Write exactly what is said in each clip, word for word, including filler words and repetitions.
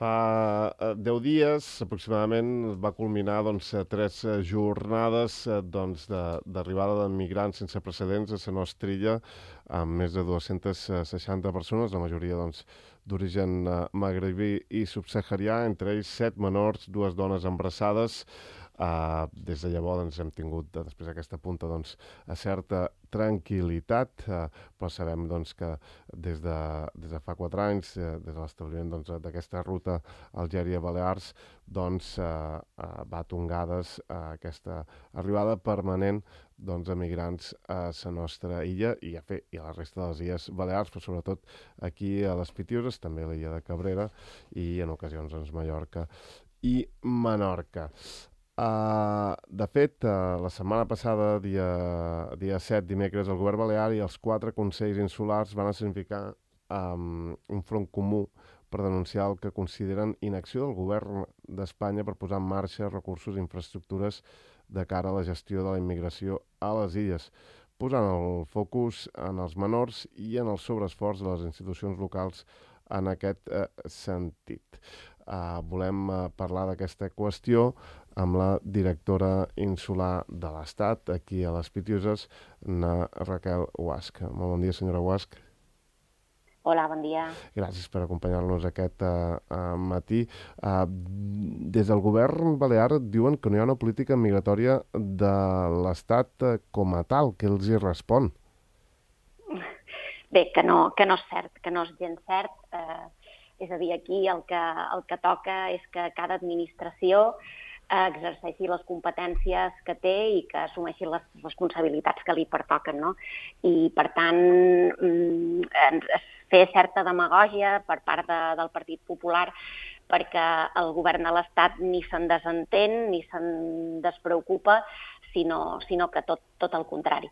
Fa eh, deu dies, aproximadament, va culminar doncs, eh, tres eh, jornades eh, doncs, de- d'arribada de migrants sense precedents a la nostra illa, amb més de dues-centes seixanta persones, la majoria doncs, d'origen eh, magrebí i subsaharià, entre ells set menors, dues dones embarassades. Uh, des de llavors doncs, hem tingut, eh, després d'aquesta punta, doncs, a certa tranquil·litat, uh, però sabem doncs, que des de, des de fa quatre anys, eh, des de l'establiment doncs, d'aquesta ruta Algèria-Balears, doncs, eh, eh, va tongades eh, aquesta arribada permanent doncs, de migrants a la nostra illa i a, fer, i a la resta de les illes Balears, però sobretot aquí a les Pitiüses, també a l'illa de Cabrera i en ocasions doncs, Mallorca i Menorca. Uh, de fet, uh, la setmana passada, dia, dia set, dimecres, el govern balear i els quatre consells insulars van escenificar um, un front comú per denunciar el que consideren inacció del govern d'Espanya per posar en marxa recursos i infraestructures de cara a la gestió de la immigració a les illes, posant el focus en els menors i en el sobreesforç de les institucions locals en aquest eh, sentit. Uh, volem uh, parlar d'aquesta qüestió amb la directora insular de l'Estat, aquí a les Pitiüses, na Raquel Guasch. Molt bon dia, senyora Guasch. Hola, bon dia. Gràcies per acompanyar-nos aquest uh, uh, matí. Uh, des del govern balear diuen que no hi ha una política migratòria de l'Estat uh, com a tal. Què els hi respon? Bé, que no, que no és cert, que no és gens cert. Eh, és a dir, aquí el que, el que toca és que cada administració eh, exerceixi les competències que té i que assumeixi les responsabilitats que li pertoquen, no? I, per tant, mm, fer certa demagògia per part de, del Partit Popular perquè el govern de l'Estat ni se'n desentén ni se'n despreocupa, sinó, sinó que tot, tot el contrari.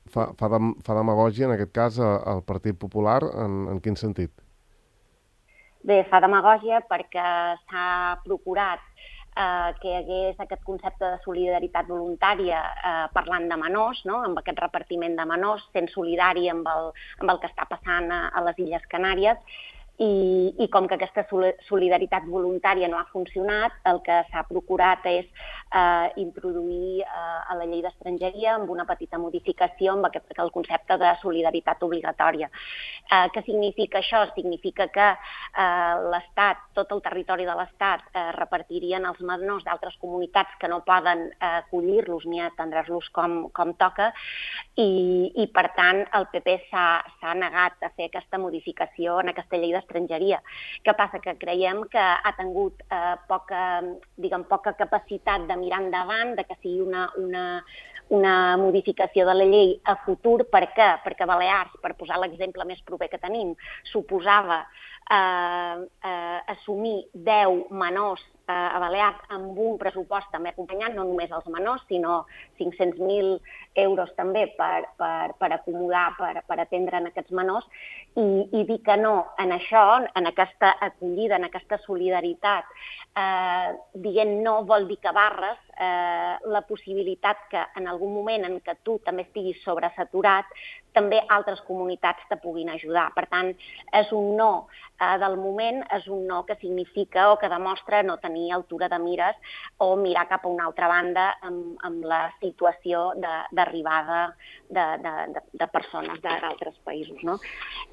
Fa, fa, dem, fa demagògia, en aquest cas, al Partit Popular, en, en quin sentit? Bé, fa demagògia perquè s'ha procurat eh, que hi hagués aquest concepte de solidaritat voluntària eh, parlant de menors, no? Amb aquest repartiment de menors, sent solidari amb el, amb el que està passant a, a les Illes Canàries. I, i com que aquesta solidaritat voluntària no ha funcionat, el que s'ha procurat és eh, introduir eh, a la llei d'estrangeria amb una petita modificació amb aquest, el concepte de solidaritat obligatòria. Eh, què significa això? Significa que eh, l'Estat, tot el territori de l'Estat, eh, repartirien els menors d'altres comunitats que no poden eh, acollir-los ni atendre-los com, com toca i, i, per tant, el P P s'ha negat a fer aquesta modificació en aquesta llei d'estrangeria. estrangeria. Què passa? Que creiem que ha tingut eh, poca, diguem, poca capacitat de mirar endavant, de que sigui una, una, una modificació de la llei a futur. Per què? Perquè Balears, per posar l'exemple més proper que tenim, suposava eh, eh, assumir deu menors eh, a Balears amb un pressupost també acompanyant, no només els menors, sinó cinc-cents mil euros també per, per, per acomodar, per, per atendre en aquests menors, i, i dir que no en això, en aquesta acollida, en aquesta solidaritat, eh, dient no vol dir que barres eh, la possibilitat que en algun moment en què tu també estiguis sobresaturat, també altres comunitats te puguin ajudar. Per tant, és un no eh, del moment, és un no que significa o que demostra no tenir altura de mires o mirar cap a una altra banda amb, amb la situació d'arribada de, de, de, de persones d'altres països, no?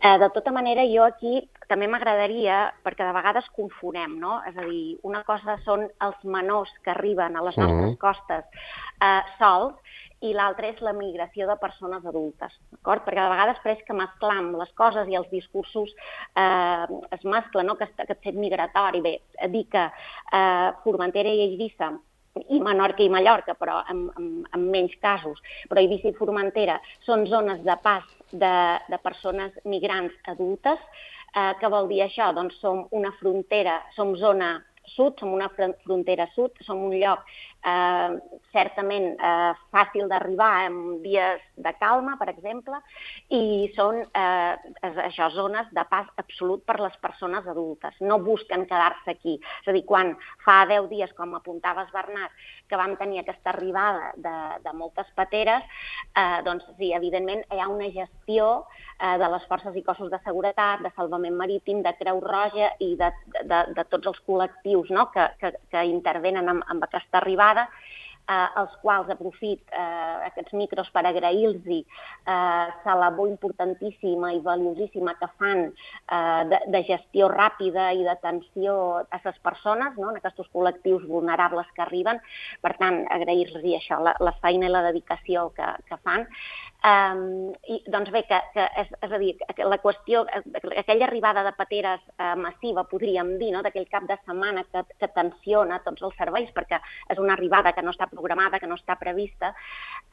Eh, de tota manera, jo aquí també m'agradaria, perquè de vegades confonem, no? És a dir, una cosa són els menors que arriben a les nostres mm-hmm. costes eh, sols, i l'altre és la migració de persones adultes, d'acord? Perquè de vegades pareix que mesclam les coses i els discursos eh, es mesclen, no? Que aquest fet migratori, bé, dir que eh, Formentera i Eivissa i Menorca i Mallorca, però en, en, en menys casos, però Eivissa i Formentera són zones de pas de, de persones migrants adultes. Eh, què vol dir això? Doncs som una frontera, som zona sud, som una frontera sud, som un lloc eh, certament eh, fàcil d'arribar en dies de calma, per exemple, i són eh, això, zones de pas absolut per les persones adultes. No busquen quedar-se aquí. És a dir, quan fa deu dies, com apuntaves, Bernat, que vam tenir aquesta arribada de, de moltes pateres, eh, doncs sí, evidentment hi ha una gestió eh, de les forces i cossos de seguretat, de salvament marítim, de Creu Roja i de, de, de tots els col·lectius, no?, que, que, que intervenen amb, amb aquesta arribada, eh, els quals aprofit eh, aquests micros per agrair-los eh, la labor importantíssima i valiosíssima que fan eh, de, de gestió ràpida i d'atenció a les persones, no?, en aquests col·lectius vulnerables que arriben. Per tant, agrair-los això, la, la feina i la dedicació que, que fan. Um, i, doncs bé, que, que és, és a dir, la qüestió, aquella arribada de pateres uh, massiva, podríem dir, no?, d'aquell cap de setmana que, que tensiona tots els serveis, perquè és una arribada que no està programada, que no està prevista,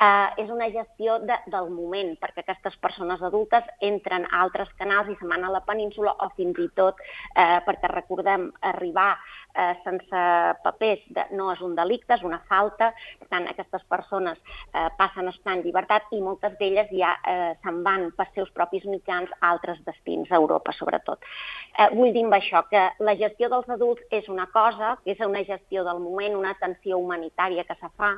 uh, és una gestió de, del moment, perquè aquestes persones adultes entren a altres canals i se'n van a la península, o fins i tot, uh, perquè recordem, arribar uh, sense papers de, no és un delicte, és una falta. Per tant, aquestes persones uh, passen a estar en llibertat i moltes d'elles ja eh, se'n van per seus propis mitjans a altres destins, a Europa sobretot. Eh, vull dir amb això que la gestió dels adults és una cosa, que és una gestió del moment, una atenció humanitària que se fa,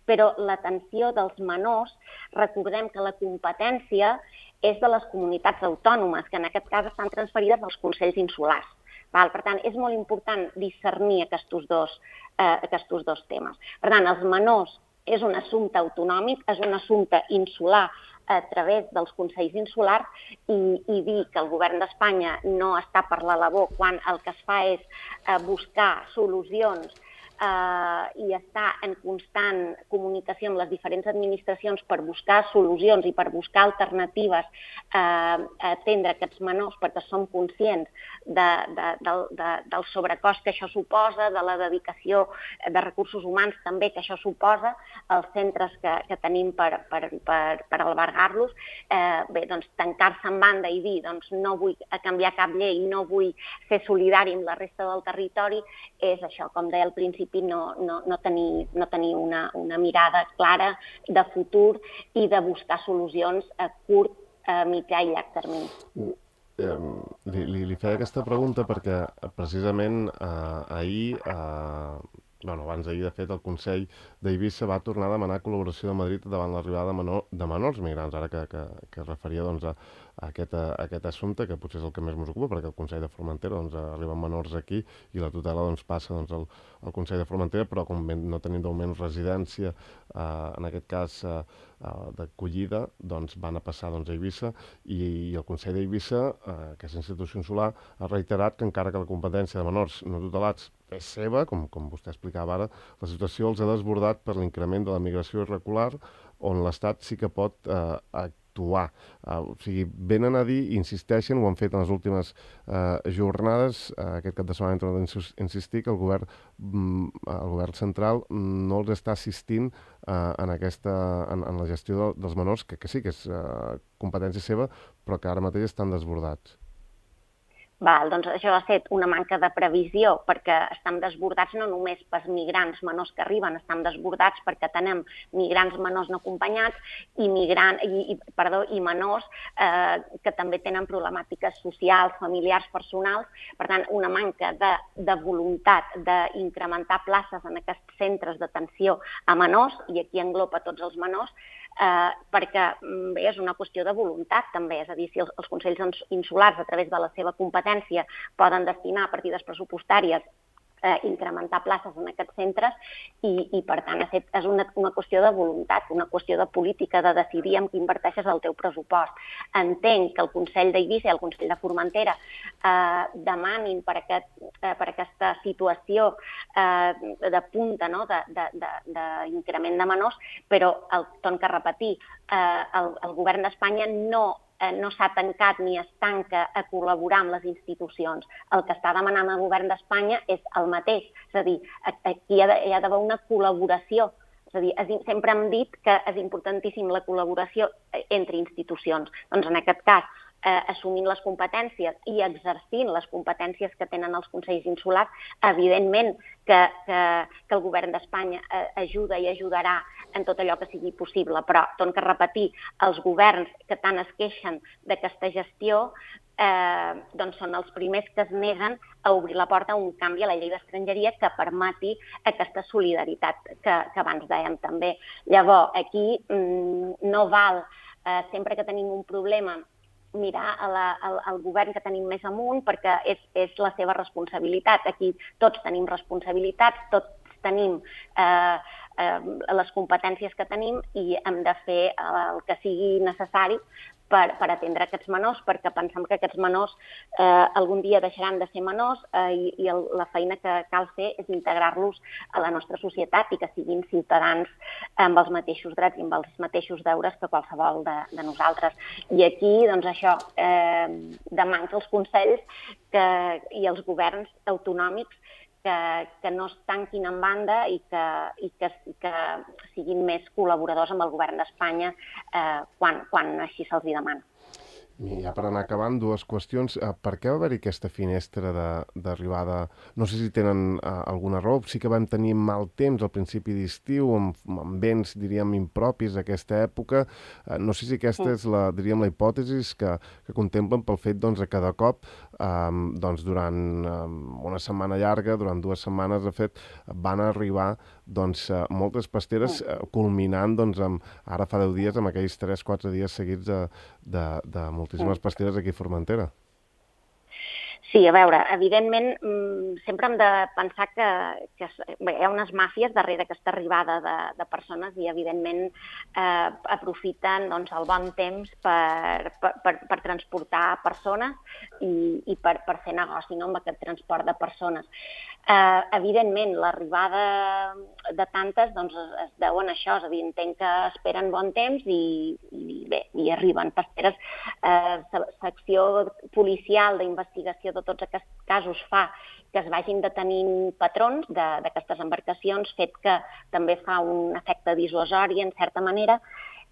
però l'atenció dels menors, recordem que la competència és de les comunitats autònomes, que en aquest cas estan transferides als consells insulars. Val? Per tant, és molt important discernir aquests dos, eh, aquests dos temes. Per tant, els menors és un assumpte autonòmic, és un assumpte insular a través dels consells insulars i, i dir que el govern d'Espanya no està per la labor quan el que es fa és eh, buscar solucions eh, i està en constant comunicació amb les diferents administracions per buscar solucions i per buscar alternatives eh, a atendre aquests menors, perquè som conscients de, de, de, de, del sobrecost que això suposa, de la dedicació de recursos humans també que això suposa, els centres que, que tenim per, per, per, per albergar-los. Eh, bé, doncs tancar-se en banda i dir doncs no vull canviar cap llei, no vull ser solidari amb la resta del territori, és això, com deia al principi, no, no, no tenir, no tenir una, una mirada clara de futur i de buscar solucions a curt, a mitjà i llarg termini. Uh. Li, li, li feia aquesta pregunta perquè precisament eh, ahir, eh, bueno, abans d'ahir, de fet, el Consell d'Eivissa va tornar a demanar col·laboració de Madrid davant l'arribada de, menor, de menors migrants, ara que, que, que es referia doncs, a, a, aquest, a aquest assumpte, que potser és el que més ens ocupa, perquè el Consell de Formentera doncs, arriben menors aquí i la tutela doncs, passa doncs, al, al Consell de Formentera, però com no tenim d'augment residència, eh, en aquest cas eh, d'acollida, doncs van a passar doncs, a Eivissa i, i el Consell d'Eivissa, eh, aquesta institució insular, ha reiterat que encara que la competència de menors no tutelats és seva, com, com vostè explicava ara, la situació els ha desbordat per l'increment de la migració irregular, on l'Estat sí que pot eh, actuar. Eh, o sigui, venen a dir, insisteixen, ho han fet en les últimes eh, jornades, eh, aquest cap de setmana hem tornat a insistir que el govern, mm, el govern central no els està assistint eh, en, aquesta, en, en la gestió de, dels menors, que, que sí que és eh, competència seva, però que ara mateix estan desbordats. Val, doncs això ha estat una manca de previsió perquè estem desbordats no només pels migrants menors que arriben, estem desbordats perquè tenem migrants menors no acompanyats i, migrant, i, i, perdó, i menors eh, que també tenen problemàtiques socials, familiars, personals. Per tant, una manca de, de voluntat d'incrementar places en aquests centres d'atenció a menors, i aquí englopa tots els menors, Eh, perquè bé, és una qüestió de voluntat també, és a dir, si els, els consells insulars a través de la seva competència poden destinar partides pressupostàries eh, incrementar places en aquests centres i, i per tant, és una, una qüestió de voluntat, una qüestió de política, de decidir en què inverteixes el teu pressupost. Entenc que el Consell d'Eivissa i el Consell de Formentera eh, demanin per, aquest, eh, per aquesta situació eh, de punta, no? d'increment de, de, de menors, però, el, torno a repetir, eh, el, el govern d'Espanya no no s'ha tancat ni es tanca a col·laborar amb les institucions. El que està demanant el govern d'Espanya és el mateix, és a dir, aquí hi ha d'haver una col·laboració. És a dir, sempre hem dit que és importantíssim la col·laboració entre institucions. Doncs en aquest cas, eh, assumint les competències i exercint les competències que tenen els consells insulars, evidentment que, que, que el govern d'Espanya eh, ajuda i ajudarà en tot allò que sigui possible, però torno a repetir, els governs que tant es queixen d'aquesta gestió Eh, doncs són els primers que es neguen a obrir la porta a un canvi a la llei d'estrangeria que permeti aquesta solidaritat que, que abans dèiem també. Llavors, aquí mm, no val, eh, sempre que tenim un problema, mirar a la, al, al govern que tenim més amunt perquè és, és la seva responsabilitat. Aquí tots tenim responsabilitats, tots tenim eh, eh, les competències que tenim i hem de fer el que sigui necessari per, per atendre aquests menors, perquè pensem que aquests menors eh, algun dia deixaran de ser menors eh, i, i el, la feina que cal fer és integrar-los a la nostra societat i que siguin ciutadans amb els mateixos drets i amb els mateixos deures que qualsevol de, de nosaltres. I aquí, doncs això, eh, demano als consells que, i als governs autonòmics que, que no es tanquin en banda i que, i que, i que siguin més col·laboradors amb el govern d'Espanya eh, quan, quan així se'ls demana. I ja per anar acabant, dues qüestions. Per què va haver-hi aquesta finestra d'arribada? No sé si tenen uh, alguna raó. Sí que vam tenir mal temps al principi d'estiu, amb, amb vents, diríem, impropis d'aquesta època. Uh, no sé si aquesta sí. és la, diríem, la hipòtesi que, que contemplen pel fet doncs, que cada cop, um, doncs, durant um, una setmana llarga, durant dues setmanes, de fet, van arribar doncs, uh, moltes pasteres, uh, culminant doncs, amb, ara fa deu dies, amb aquells tres quatre dies seguits de, de, de moltíssimes pasteres aquí a Formentera. Sí, a veure, evidentment, sempre hem de pensar que, que bé, hi ha unes màfies darrere aquesta arribada de, de persones i, evidentment, eh, aprofiten doncs, el bon temps per, per, per, per transportar persones i, i per, per fer negoci, no?, amb aquest transport de persones. Eh, evidentment, l'arribada de tantes doncs, es, es deuen a això, és a dir, entenc que esperen bon temps i, i bé, i arriben pasteres. Eh, secció policial d'investigació de tots aquests casos fa que es vagin detenint patrons d'aquestes embarcacions, fet que també fa un efecte dissuasori, en certa manera,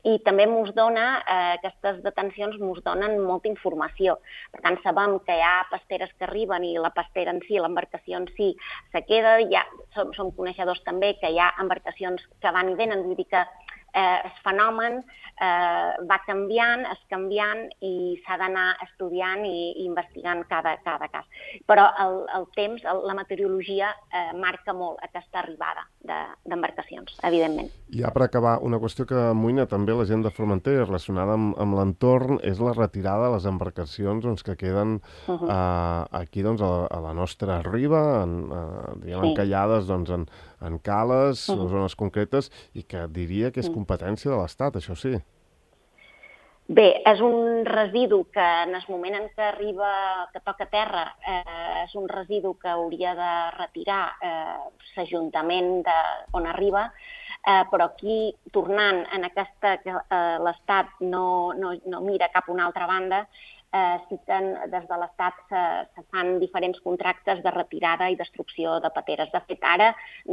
i també mos dona, eh, aquestes detencions mos donen molta informació. Per tant, sabem que hi ha pasteres que arriben i la pastera en si, l'embarcació en si, se queda. Ja som, som coneixedors també que hi ha embarcacions que van i venen, vull dir que eh, el fenomen eh, va canviant, es canviant i s'ha d'anar estudiant i, i investigant cada, cada cas. Però el, el temps, el, la meteorologia eh, marca molt aquesta arribada d'embarcacions, de, evidentment. Ja per acabar, una qüestió que amoïna també la gent de Formentera relacionada amb, amb l'entorn és la retirada de les embarcacions doncs, que queden uh -huh. eh, aquí doncs, a, la, a la nostra riba, en, eh, diguem, sí. encallades doncs, en, en cales, uh -huh. en zones concretes, i que diria que és competència de l'Estat, això sí. Bé, és un residu que en el moment en què arriba, que toca terra, eh, és un residu que hauria de retirar eh, l'Ajuntament on arriba, eh, però aquí, tornant en aquesta que eh, l'Estat no, no, no mira cap a una altra banda, eh, sí que des de l'Estat se, se fan diferents contractes de retirada i destrucció de pateres. De fet, ara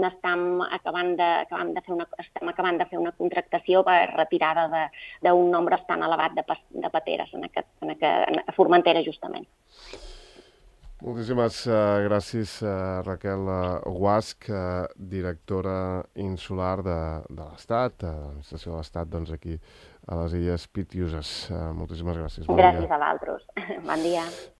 estem acabant de, acabant de, fer, una, estem acabant de fer una contractació per retirada d'un nombre tan elevat de, de pateres en aquest, en aquest, en, a Formentera, justament. Moltíssimes uh, gràcies, uh, Raquel uh, Guasch, uh, directora insular de, de l'Estat, de l'administració de l'Estat, doncs aquí a les Illes Pitiüses. Uh, moltíssimes gràcies. Bon gràcies dia. A vosaltres. Bon dia.